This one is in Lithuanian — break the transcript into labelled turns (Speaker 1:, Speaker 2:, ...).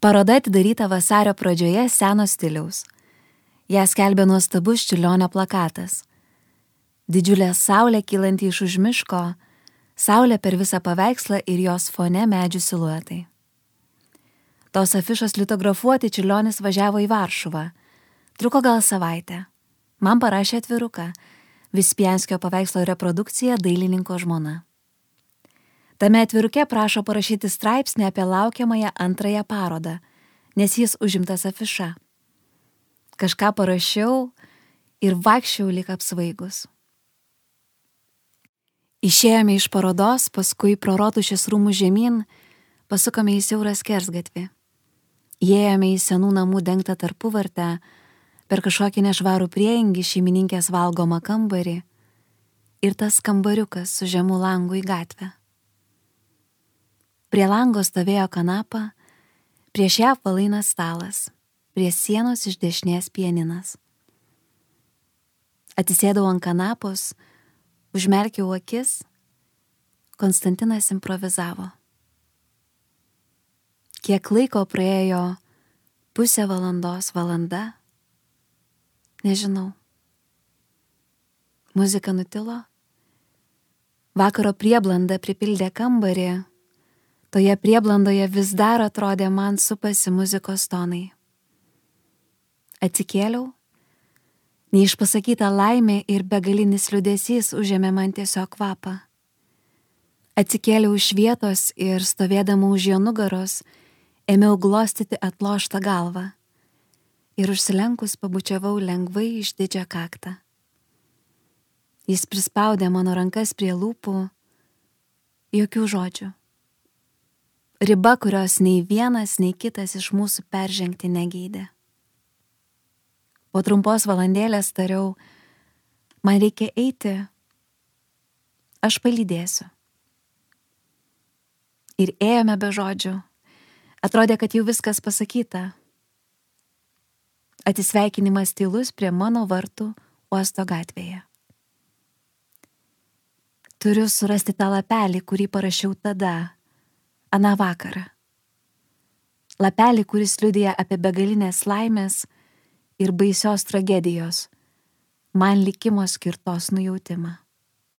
Speaker 1: Paroda atidaryta vasario pradžioje seno stiliaus. Ją skelbė nuostabus Čiurlionio plakatas. Didžiulė saulė kylanti iš už miško, saulė per visą paveikslą ir jos fone medžių siluetai. Tos afišos litografuoti Čiurlionis važiavo į Varšuvą. Truko gal savaitę. Man parašė atviruką. Vispianskio paveikslo reprodukcija dailininko žmona. Tame atviruke prašo parašyti straipsnį apie laukiamąją antrąją parodą, nes jis užimtas afiša. Kažką parašiau ir vaikščiau lyg apsvaigus. Išėjome iš parodos, paskui pro Rotušės rūmų žemyn, pasukome į siaurą skersgatvį. Įėjome į senų namų dengtą tarpuvartę, per kažkokį nešvarų prieingį šeimininkės valgomą kambarį ir tas kambariukas su žemu langu į gatvę. Prie lango stovėjo kanapa, prieš ją apvalainas stalas, prie sienos iš dešinės pianinas. Atsisėdau ant kanapos, užmerkiau akis, Konstantinas improvizavo. Kiek laiko praėjo, pusė valandos, valanda, nežinau. Muzika nutilo. Vakaro prieblanda pripildė kambarį. Toje prieblandoje vis dar atrodė man supasi muzikos tonai. Atsikėliau. Neišpasakyta laimė ir begalinis liūdesys užėmė man tiesiog kvapą. Atsikėliau iš vietos ir stovėdama už jo nugaros, ėmiau glostyti atloštą galvą. Ir užsilenkus pabučiavau lengvai išdidžią kaktą. Jis prispaudė mano rankas prie lūpų, jokių žodžių. Riba, kurios nei vienas, nei kitas iš mūsų peržengti negeidė. Po trumpos valandėlės tariau, man reikia eiti, aš palydėsiu. Ir ėjome be žodžių, atrodė, kad jau viskas pasakyta. Atsisveikinimas tylus prie mano vartų uosto gatvėje. Turiu surasti tą lapelį, kurį parašiau tada, aną vakarą. Lapelį, kuris liudija apie begalinės laimės ir baisios tragedijos, man likimo skirtos nujautimą.